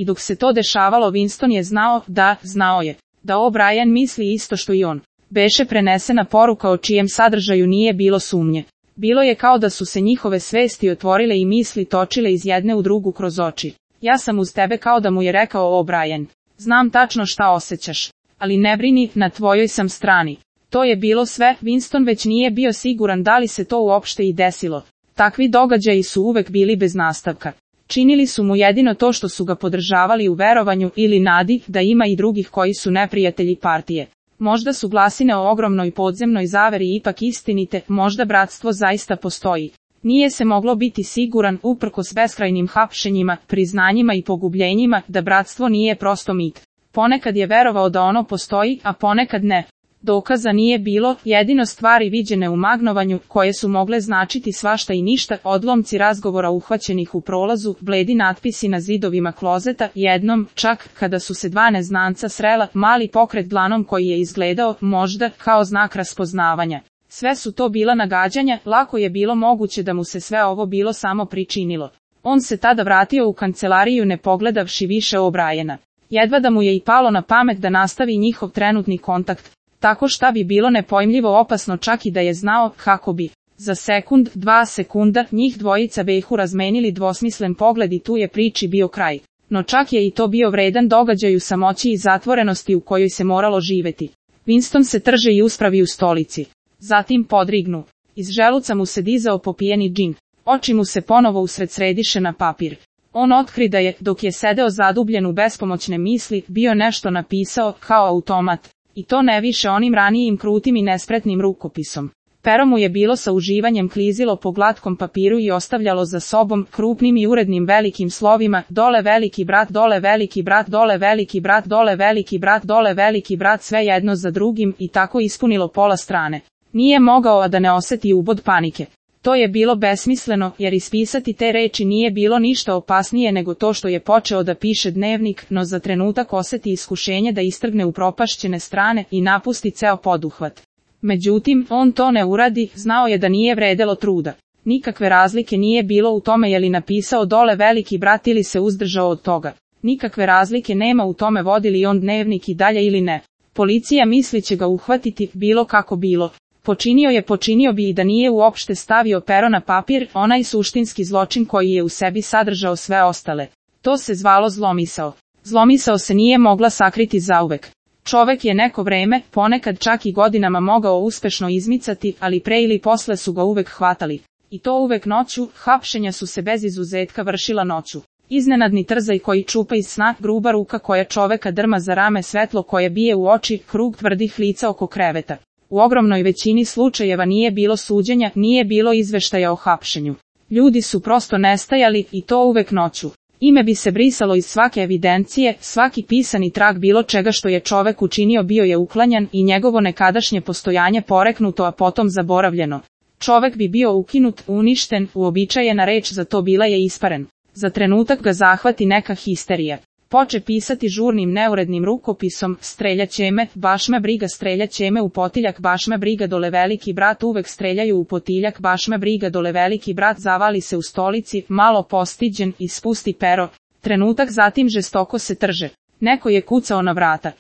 I dok se to dešavalo Winston je znao da O'Brien misli isto što i on. Beše prenesena poruka o čijem sadržaju nije bilo sumnje. Bilo je kao da su se njihove svesti otvorile i misli točile iz jedne u drugu kroz oči. Ja sam uz tebe, kao da mu je rekao O'Brien. Znam tačno šta osjećaš. Ali ne brini, na tvojoj sam strani. To je bilo sve, Winston već nije bio siguran da li se to uopšte i desilo. Takvi događaji su uvek bili bez nastavka. Činili su mu jedino to što su ga podržavali u verovanju ili nadi da ima i drugih koji su neprijatelji partije. Možda su glasine o ogromnoj podzemnoj zaveri ipak istinite, možda bratstvo zaista postoji. Nije se moglo biti siguran, uprkos beskrajnim hapšenjima, priznanjima i pogubljenjima, da bratstvo nije prosto mit. Ponekad je verovao da ono postoji, a ponekad ne. Dokaza nije bilo, jedino stvari viđene u magnovanju, koje su mogle značiti svašta i ništa, odlomci razgovora uhvaćenih u prolazu, bledi natpisi na zidovima klozeta, jednom, čak, kada su se dva neznanca srela, mali pokret dlanom koji je izgledao, možda, kao znak raspoznavanja. Sve su to bila nagađanja, lako je bilo moguće da mu se sve ovo bilo samo pričinilo. On se tada vratio u kancelariju ne pogledavši više O'Briena. Jedva da mu je i palo na pamet da nastavi njihov trenutni kontakt. Tako šta bi bilo nepojmljivo opasno čak i da je znao kako bi. Za sekund, 2 sekunda, njih dvojica behu razmenili dvosmislen pogled i tu je priči bio kraj. No čak je i to bio vredan događaj u samoći i zatvorenosti u kojoj se moralo živeti. Winston se trže i uspravi u stolici. Zatim podrignu. Iz želuca mu se dizao popijeni džin. Oči mu se ponovo usred središe na papir. On otkri da je, dok je sedeo zadubljen u bespomoćne misli, bio nešto napisao, kao automat. I to ne više onim ranijim krutim i nespretnim rukopisom. Pero mu je bilo sa uživanjem klizilo po glatkom papiru i ostavljalo za sobom, krupnim i urednim velikim slovima, dole veliki brat, dole veliki brat, dole veliki brat, dole veliki brat, dole veliki brat, sve jedno za drugim, i tako ispunilo pola strane. Nije mogao a da ne oseti ubod panike. To je bilo besmisleno, jer ispisati te reči nije bilo ništa opasnije nego to što je počeo da piše dnevnik, no za trenutak oseti iskušenje da istrgne upropašćene strane i napusti ceo poduhvat. Međutim, on to ne uradi, znao je da nije vredelo truda. Nikakve razlike nije bilo u tome je li napisao dole veliki brat ili se uzdržao od toga. Nikakve razlike nema u tome vodi li on dnevnik i dalje ili ne. Policija misli će ga uhvatiti, bilo kako bilo. Počinio bi i da nije uopšte stavio pero na papir, onaj suštinski zločin koji je u sebi sadržao sve ostale. To se zvalo zlomisao. Zlomisao se nije mogla sakriti zauvek. Čovek je neko vreme, ponekad čak i godinama mogao uspešno izmicati, ali pre ili posle su ga uvek hvatali. I to uvek noću, hapšenja su se bez izuzetka vršila noću. Iznenadni trzaj koji čupa iz sna, gruba ruka koja čoveka drma za rame, svetlo koje bije u oči, krug tvrdih lica oko kreveta. U ogromnoj većini slučajeva nije bilo suđenja, nije bilo izveštaja o hapšenju. Ljudi su prosto nestajali, i to uvek noću. Ime bi se brisalo iz svake evidencije, svaki pisani trag bilo čega što je čovek učinio bio je uklanjan i njegovo nekadašnje postojanje poreknuto a potom zaboravljeno. Čovek bi bio ukinut, uništen, uobičajena reč za to bila je isparen. Za trenutak ga zahvati neka histerija. Poče pisati žurnim neurednim rukopisom, streljaće me, baš me briga, streljaće me u potiljak, baš me briga, dole veliki brat, uvek streljaju u potiljak, baš me briga, dole veliki brat, zavali se u stolici, malo postiđen, i spusti pero. Trenutak zatim žestoko se trže. Neko je kucao na vrata.